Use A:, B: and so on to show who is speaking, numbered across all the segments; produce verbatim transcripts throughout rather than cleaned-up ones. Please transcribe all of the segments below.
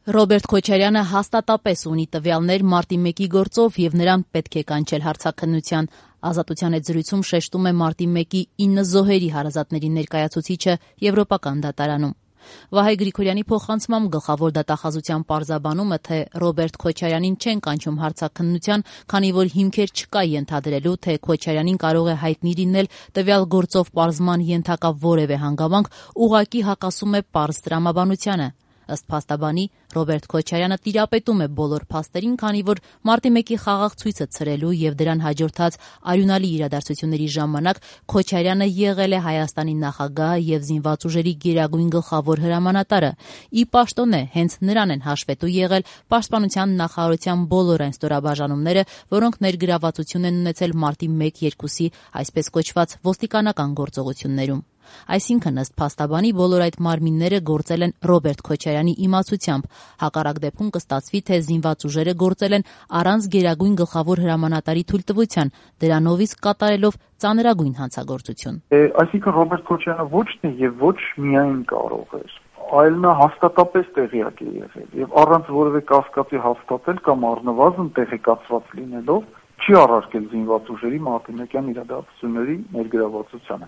A: Ռոբերտ Քոչարյանը հաստատապես ունի տվյալներ մարտի մեկի գործով եւ նրան պետք է կանչել հարցաքննության։ Ազատության հետ զրույցում շեշտում է մարտի մեկի ինը զոհերի հարազատների ներկայացուցիչը Եվրոպական դատարանում։ Վահե Գրիգորյանի փոխանցմամբ գլխավոր դատախազության պարզաբանումը, թե Ռոբերտ Քոչարյանին չեն կանչում հարցաքննության, քանի որ հիմքեր չկա ենթադրելու, թե Քոչարյանին կարող է հայտնի լինել տվյալ գործով պարզման ենթակա որևէ հանգամանք, ուղղակի հակասում է պարզ տրամաբանությանը։ Ըստ փաստաբանի, Ռոբերտ Քոչարյանը տիրապետում է բոլոր փաստերին, քանի որ մարտի մեկի խաղաղ ցույցը ցրելու եւ դրան հաջորդած արյունալի իրադարձությունների ժամանակ Քոչարյանը եղել է Հայաստանի նախագահը եւ զինված ուժերի գերագույն գլխավոր հրամանատարը։ Ի պաշտոնե, հենց նրան են հաշվետու եղել Պաշտպանության նախարարության բոլոր այն ստորաբաժանումները, որոնք ներգրավվածություն են ունեցել մարտի մեկ երկուսի այսպես կոչված ոստիկանական գործողություններում։ Այսինքն, ըստ փաստաբանի, բոլոր այդ մարմինները գործել են Ռոբերտ Քոչարյանի իմացությամբ։ Հակառակ դեպքում կստացվի, թե զինված ուժերը գործել են առանց գերագույն գլխավոր հրամանատարի թույլտվության, դրանով իսկ կատարելով ծանրագույն հանցագործություն։
B: Այսինքն Ռոբերտ Քոչարյանը ոչ թե եւ ոչ միայն կարող էր, այլ նա հաստատապես տեղյակ է եղել եւ առանց որևէ կասկածի հաստատել կամ առնվազն տեղեկացված լինելով չի առարկել զինված ուժերի մարտի իրադարձությունների ներգրավվածությանը։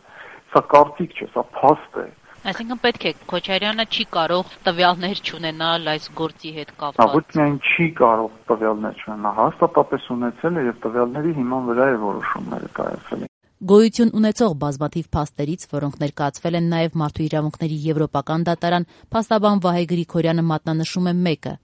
B: Սա կարծիք չէ, սա փաստ է։
A: Այսինքն պետք է Քոչարյանը չի կարող տվյալներ չունենալ այս գործի հետ կապված։
B: Ոչ միայն չի կարող տվյալներ չունենալ, հաստատապես ունեցել է եւ տվյալների հիման վրա է որոշումները կայացել։
A: Գոյություն ունեցող բազմաթիվ փաստերից, որոնք ներկայացվել են նաև Մարդու իրավունքների Եվրոպական դատարան, փաստաբան Վահե Գրիգորյանը մատնանշում է մեկը.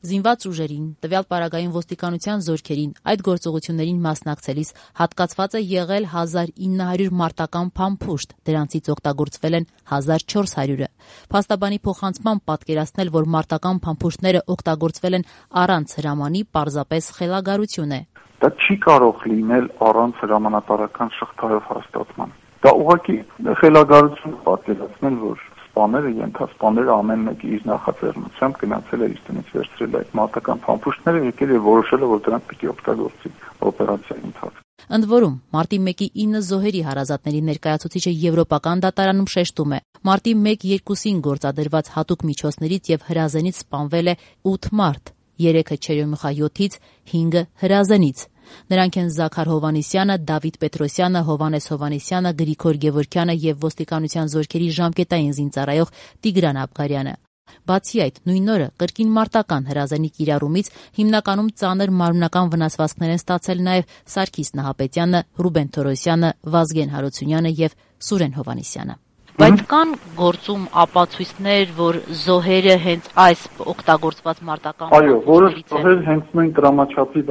A: զինված ուժերին, տվյալ պարագային ոստիկանության զորքերին այդ գործողություններին մասնակցելիս հատկացված է եղել հազար ինը հարյուր մարտական փամփուշտ, դրանցից օգտագործվել են հազար չորս հարյուրը։ Փաստաբանի փոխանցմամբ պատկերացնել, որ մարտական փամփուշտները օգտագործվել են առանց հրամանի, պարզապես խելագարություն է։
B: Դա չի կարող լինել առանց հրամանատարական շղթայով հաստատման։ Դա ուղղակի խելագարություն պատկերացնել, որ սպաները, ենթասպաները ամեն մեկը իր նախաձեռնությամբ գնացել է իր տնից վերցրել այդ մարտական փամփուշտները, եկել եւ որոշել է, որ դրանք պիտի օգտագործի օպերացիայի ընթացքում։
A: Ընդ որում, մարտի մեկի ինը զոհերի հարազատների ներկայացուցիչը Եվրոպական դատարանում շեշտում է. մարտի մեկ երկուսին գործադրված հատուկ միջոցներից եւ հրազենից սպանվել է ութ մարդ, երեքը Չերյոմուխա յոթից, հինգը հրազենից։ Նրանք են Զաքար Հովհաննիսյանը, Դավիթ Պետրոսյանը, Հովհաննես Հովհաննիսյանը, Գրիգոր Գևորգյանը եւ ոստիկանության զորքերի ժամկետային զինծառայող Տիգրան Աբգարյանը։ Բացի այդ, նույն օրը կրկին մարտական հրազենի կիրառումից հիմնականում ծանր մարմնական վնասվածքներ են ստացել նաեւ Սարգիս Նահապետյանը, Ռուբեն Թորոսյանը, Վազգեն Հարությունյանը եւ Սուրեն Հովհաննիսյանը։ Բայց կան գործում ապացույցներ, որ զոհերը հենց այս օգտագործված մարտական
B: Այո, որը զոհեր հենց նույն դրամաչափի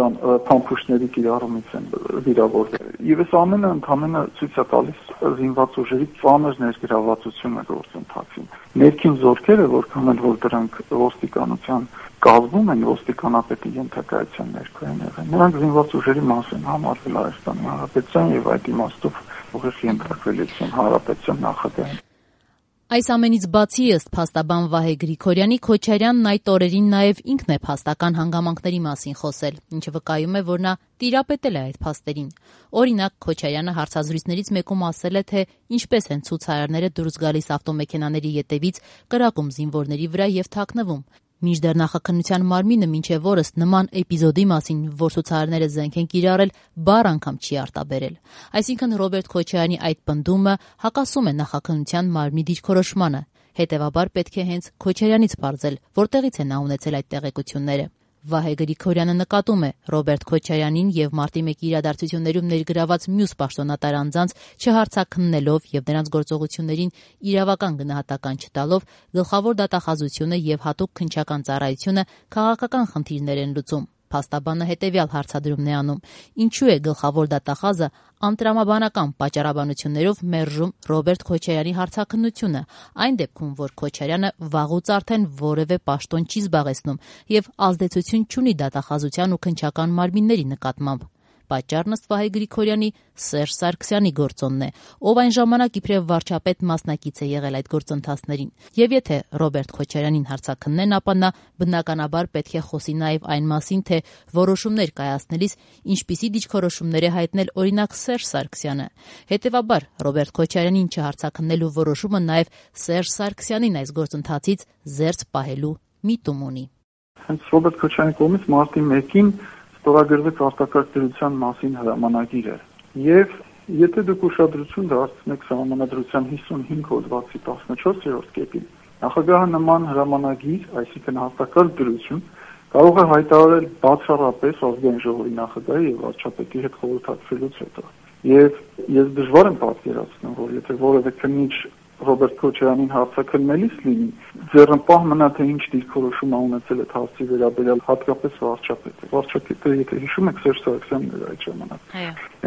B: փամփուշտների կիրառումից են վիրավորվել։ Եվ այս ամենը ընդհանրապես ցույց է տալիս զինված ուժերի ծանր ներգրավվածությունը գործընթացին։ Ներքին զորքերը, որքան էլ որ դրանք ոստիկանության կազմում են, ոստիկանապետի ենթակայության ներքո են եղել, նրանք զինված ուժերի մաս են համարվել Հայաստանի Հանրապետության եւ այդ իմաստով ուղիղ ենթարկվել Հանրապետության նախագահին։
A: Այս ամենից բացի, ըստ փաստաբան Վահե Գրիգորյանի, Քոչարյանն այդ օրերին նաև ինքն է փաստական հանգամանքների մասին խոսել, ինչը վկայում է, որ նա տիրապետել է այդ փաստերին։ Օրինակ, Քոչարյանը հարցազրույցներից մեկում ասել է, թե ինչպես են ցուցարարները դուրս գալիս ավտոմեքենաների ետևից, կրակում զինվորների վրա եւ թաքնվում։ Մինչդեռ նախաքննության մարմինը մինչև օրս նման էպիզոդի մասին, որ ցուցարարները զենք են կիրառել, բառ անգամ չի արտաբերել։ Այսինքն Ռոբերտ Քոչարյանի այդ պնդումը հակասում է նախաքննության մարմնի դիրքորոշմանը։ Հետևաբար պետք է հենց Քոչարյանից պարզել, որտեղից է նա ունեցել այդ տեղեկությունները։ Վահե Գրիգորյանը նկատում է Ռոբերտ Քոչարյանին եւ մարտի մեկի իրադարձություններում ներգրաված մյուս պաշտոնատար անձանց չհարցաքննելով եւ նրանց գործողություններին իրավական գնահատական չտալով գլխավոր դատախազությունը եւ հատուկ քննչական ծառայությունը քաղաքական խնդիրներ են լուծում։ Փաստաբանը հետևյալ հարցադրումն է անում. ինչու է գլխավոր դատախազը անտրամաբանական պատճառաբանություններով մերժում Ռոբերտ Քոչարյանի հարցաքննությունը, այն դեպքում, որ Քոչարյանը վաղուց արդեն որևէ պաշտոն չի զբաղեցնում եւ ազդեցություն չունի դատախազության ու քննչական մարմինների նկատմամբ։ Պատճառն ըստ Վահե Գրիգորյանի Սերժ Սարգսյանի գործոնն է, ով այն ժամանակ իբրև վարչապետ մասնակից է եղել այդ գործընթացներին։ Եվ եթե Ռոբերտ Քոչարյանին հարցաքննեն, ապա նա բնականաբար պետք է խոսի նաև այն մասին, թե որոշումներ կայացնելիս ինչպիսի դիրքորոշումներ է հայտնել օրինակ Սերժ Սարգսյանը։ Հետևաբար Ռոբերտ Քոչարյանին չհարցաքննելու որոշումը նաև Սերժ Սարգսյանին այս գործընթացից զերծ պահելու միտում ունի։
B: Հենց Ռոբերտ Քոչարյանի կողմից մարտի մեկին ստորագրվեց արտակարգ դրության մասին հրամանագիրը։ Եվ եթե դուք ուշադրություն դարձնեք սահմանադրության հիսունհինգ հոդվածի տասնչորսերորդ կետին, նախագահը նման հրամանագիր, այսինքն արտակարգ դրություն, կարող է հայտարարել բացառապես ազգային ժողովի նախագահի եւ վարչապետի հետ խորհրդակցելուց հետո։ Եվ ես դժվար եմ պատկերացնում, որ եթե որևէ քննիչ Ռոբերտ Քոչարյանին հարցաքննելիս լինի, ձեռնպահ մնա թե ինչ դիրքորոշում ունեցել այդ հարցի վերաբերյալ հատկապես վարչապետը։ Վարչապետը, եթե հիշում եք, Սերժ Սարգսյանն էր այդ ժամանակ։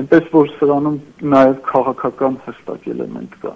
B: Այնպես որ սրանում նաև քաղաքական հստակ էլեմենտ կա։